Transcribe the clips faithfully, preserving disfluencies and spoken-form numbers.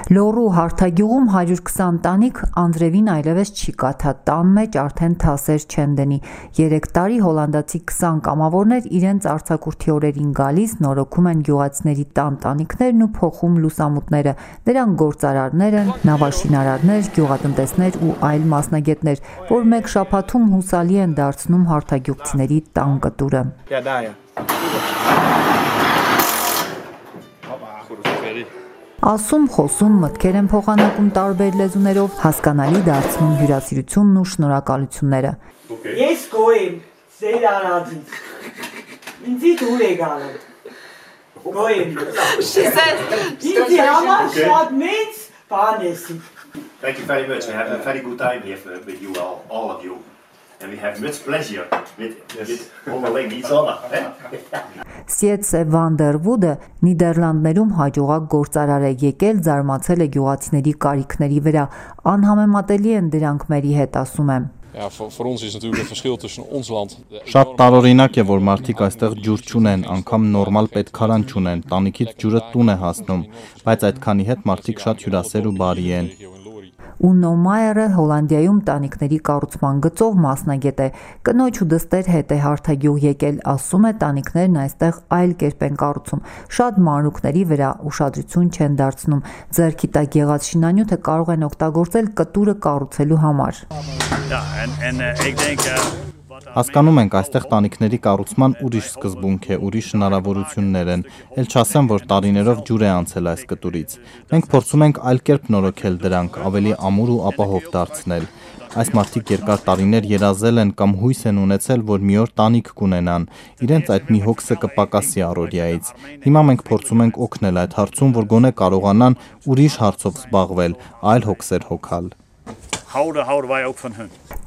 Լոռու հարթագյուղում հարյուր քսան տանիք անձրևին այլևս չի կաթա, տան մեջ արդեն թասեր չեն դնի։ Երեք տարի հոլանդացի քսան կամավորներ իրենց արձակուրդի օրերին գալիս նորոգում են գյուղացիների տան տանիքներն ու փոխում լուսամուտները։ Նրանք գործարարներ են, նավաշինարարներ, գյուղատնտեսներ ու այլ մասնագետներ, որ մեկ շաբաթում հուսալի են դարձնում հարթագյուղցիների տան կտուրը։ Ասում, խոսում, մտքեր են փոխանակում տարբեր լեզուներով, հասկանալի դարձնում հյուրասիրությունն ու շնորհակալությունները։ Ես գոյեմ, ձեր արածից, ինձի դուր է գալը, գոյեմ, ինձի համար շատ մեծ բան եսի։ Thank you very much. We have a very good time here with you all, all of you. And we have much pleasure with, with onderling each other. Սիեցե Վանդերվուդը Նիդերլանդներում հաջողակ գործարար է, եկել զարմացել է գյուղացիների կարիքների վրա, անհամեմատելի են դրանք մերի հետ, ասում եմ։ Շատ տարօրինակ է, որ մարդիկ այստեղ ջուր չունեն, անգամ նորմալ պետքարան չունեն, տանիքից ջուրը տուն է հասնում, բայց այդքանի հետ մարդիկ շատ հյուրասեր ու բարի են։ Ունո Մայերը Հոլանդիայում տանիքների կառուցման գծով մասնագետ է, կնոջ ու դստեր հետ է հարթագյուղ եկել, ասում է տանիքներն այստեղ այլ կերպ են կառուցում, շատ մանրուքների վրա ուշադրություն չեն դարձնում, ձեռքի տակ եղած շինանյութը կարող են օգտագործել կտուրը կառուցելու համար։ Հասկանում ենք, այստեղ տանիքների կառուցման ուրիշ սկզբունք է, ուրիշ հնարավորություններ են, էլ չասեմ, որ տարիներով ջուր է անցել այս կտուրից։ Մենք փորձում ենք այլ կերպ նորոգել դրանք, ավելի ամուր ու ապահով դարձնել։ Այս մարդիկ երկար տարիներ երազել են կամ հույս են ունեցել, որ մի օր տանիք կունենան, իրենց այդ մի հոգսը կպակասի առօրյայից։ Հիմա մենք փորձում ենք օգնել այդ հարցում, որ գոնե կարողանան ուրիշ հարցով զբաղվել, այլ հոգսեր հոգալ։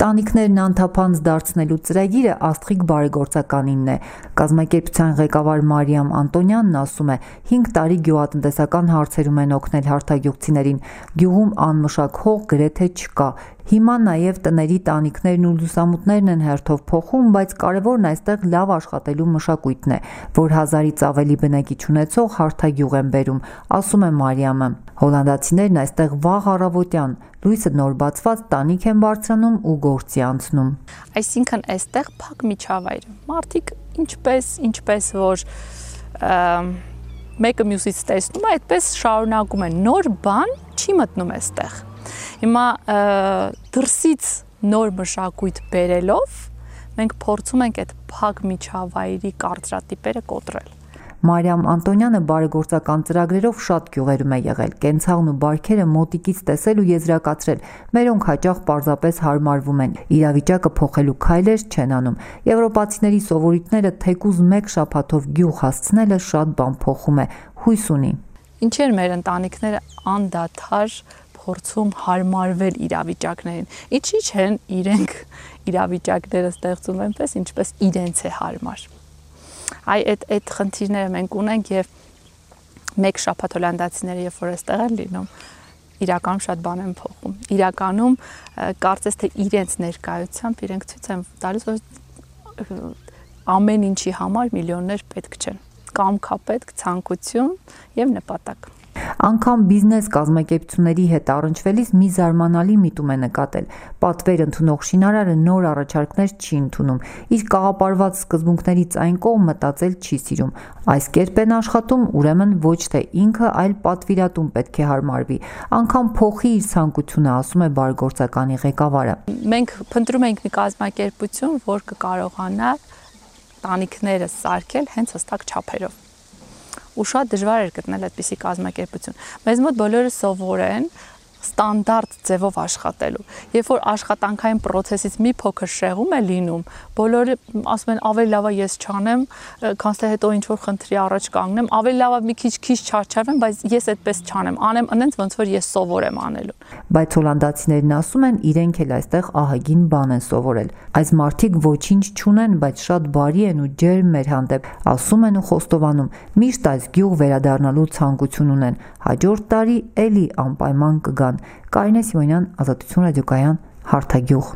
Տանիքներն անթափանց դարձնելու ծրագիրը Աստղիկ բարեգործականինն է։ Կազմակերպության ղեկավար Մարիամ Անտոնյանն ասում է, հինգ տարի գյուղատնտեսական հարցերում են օգնել հարթագյուղցիներին, գյուղում անմշակ հող գրեթե չկա։ Հիմա նաև տների տանիքներն ու լուսամուտներն են հերթով փոխում, բայց կարևորն այստեղ լավ աշխատելու մշակույթն է, որ հազարից ավելի բնակիչ ունեցող հարթագյուղ են բերում, ասում է Մարիամը։ Հոլանդացիներն այստեղ վաղ առավոտյան լույսը նոր բացված տանիք են բարձրանում ու գործի անցնում։ Այսինքն այստեղ փակ միջավայր է։ Մարդիկ ինչպես, ինչպես որ մեկը մյուսից տեսնում է, այդպես շարունակում են, նոր բան չի մտնում այստեղ։ Հիմա դրսից նոր մշակույթ բերելով մենք փորձում ենք այդ փակ միջավայրի կարծրատիպերը կոտրել։ Մարիամ Անտոնյանը բարեգործական ծրագրերով շատ գյուղերում է եղել, կենցաղն ու բարքերը մոտիկից տեսել ու եզրակացրել, մերոնք հաճախ պարզապես հարմարվում են, իրավիճակը փոխելու քայլեր չեն անում։ Եվրոպացիների սովորույթները թեկուզ մեկ շաբաթով գյուղ հասցնելը շատ բան փոխում է, հույս ունի։ Ինչեր մեր ընտանիքները անդադար փորձում հարմարվել իրավիճակներին։ Ինչի՞ չեն իրենք իրավիճակները ստեղծում այնպես, ինչպես իրենց է հարմար։ Այ այդ այդ խնդիրները մենք ունենք եւ մեկ շաբաթ հոլանդացիները երբ որ այստեղ են լինում, իրականում շատ բան են փոխում։ Իրականում կարծես թե իրենց ներկայությամբ իրենք ցույց են տալիս, որ ամեն ինչի համար միլիոններ պետք չեն։ Կամքապետք, ցանկություն եւ նպատակ։ Անգամ բիզնես կազմակերպությունների հետ առնչվելիս մի զարմանալի միտում է նկատել։ Պատվեր ընդունող շինարարը նոր առաջարկներ չի ընդունում, իր կաղապարված սկզբունքներից այն կողմ մտածել չի սիրում։ Այս կերպ են աշխատում, ուրեմն ոչ թե ինքը, այլ պատվիրատուն պետք է հարմարվի։ Անգամ փոխի իր ցանկությունը, ասում է բարեգործականի ղեկավարը։ Մենք փնտրում ենք մի կազմակերպություն, որ կկարողանա տանիքները սարքել հենց հստակ չափերով։ Ու շատ դժվար էր գտնել այդպիսի կազմակերպություն։ Մեզ մոտ բոլորը սովոր են ստանդարտ ձևով աշխատելու։ Երբ որ աշխատանքային process-ից մի փոքր շեղում է լինում, բոլորը ասում են ավելի լավ է ես չանեմ, քան թե հետո ինչ որ խնդրի առաջ կանգնեմ, ավելի լավ է մի քիչ քիչ չարչարվեմ, բայց ես այդպես չանեմ, անեմ այնց ոնց որ ես սովոր եմ անելու։ Բայց հոլանդացիներն ասում են, իրենք էլ այստեղ ահագին բան են սովորել։ Այս մարդիկ ոչինչ չունեն, բայց շատ բարի են ու ջերմ մեր հանդեպ, ասում են ու խոստովանում, միշտ այս գյուղ վերադառնալու ցանկություն ունեն։ Հաջորդ տարի էլի անպայման կգան։ Կարինե Սիմոնյան, Ազատություն ռադիոկայան, Հարթագյուղ։